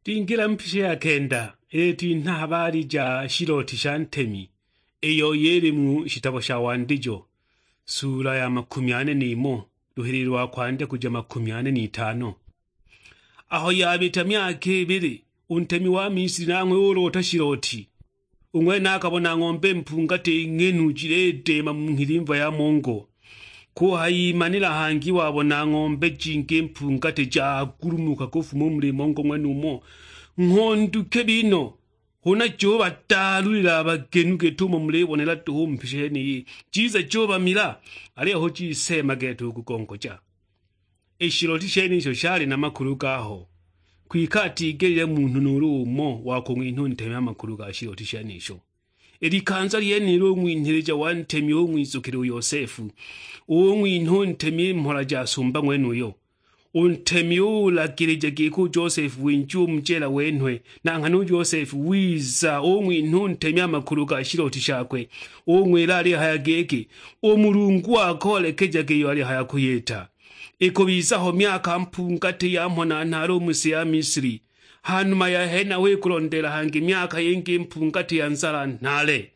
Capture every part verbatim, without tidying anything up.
Twingila mu mpisha ya kenda, ili twinha habari ja shiloti sha ntemi, iyo yili mu shitabo sha Wandijo, sula ya makumi ane n'imo, luhilili lwa kwandya kuja makumi ane n'itano. Aho yabita myaka ibili, u ntemi wa Misili nanghwe ulota shiloti. U ng'wene akabona ng'ombe mpungati ng'henu jilideema mu nghilimva ya mongo. Kuhayimanila hangi wabona ng'ombe jingi mpungati jagulumuka kufuma u muli mongo ng'wenumo. Ng'hondu kibi no, huna jubataalulila a bagenu git'umo mulibonela duhu u mu mpisha yeniyi. Jiza jubamila, aliyo hu jiseema gete u kugongoja. I shiloti shenisho shali na makulu gaho, kwike atigelile munhu nuulu umo wa kung'winha u ntemi a makulu ga shiloti shenisho. I likanza lyenilo u ng'winhilija wa ntemi ung'wizukila u Yosefu, ung'winha u ntemi i mhola ja sumba ng'wenuyo. U ntemi ulagilija giki u Josefu winjiwe u mu jela wenhwe, na nghana u Josefu wiza ung'winha u ntemi a makulu ga shiloti shakwe, ung'wila alihaya giki, "U Mulungu akoolekejage iyo alihaya kuyita." Ikubiza ho myaka mpungati ya mhona nhaale u mu si ya Misili. Ha numa ya henaho ikulondeela hangi myaka yingi mpungati ya nzala nhaale.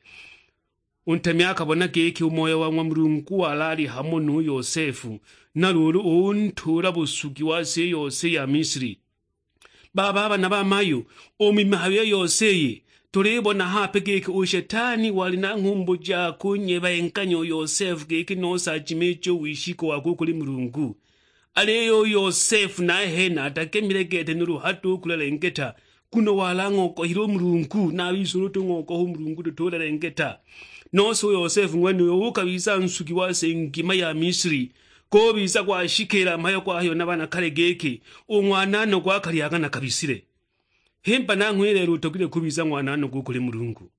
U ntemi akabona giki u Moyo wa ng'wa Mulungu wali ali hamo nu Yosefu, na luulu untuula busugi wa si yose ya Misili. Baba, bana ba mayu, u mu mihayo iyo yose iyi, tulibona hape giki u Shetani wali na nghumbu ja kunyebenghanya u Yosefu giki nose ajimiije u wishiko wakwe u kuli Mulungu. Aliyo u Yosefu nahene atagemile gete nuulu hado u kulelengeta, nguno wali ang'ogohile u Mulungu, na a bise ulu tung'ogoha u Mulungu tutulelengeta. Nose u Yosefu ng'wenuyo ukabiza nsugi wa si ngima ya Misili, gubiza gwashikiila mhayo gwahayiwa na bana kale giki, "U ng'wananogwa akalyaga na kabisile." Himba nanghwe i lelo utogilwe kubiza ng'wananogwa u kuli Mulungu.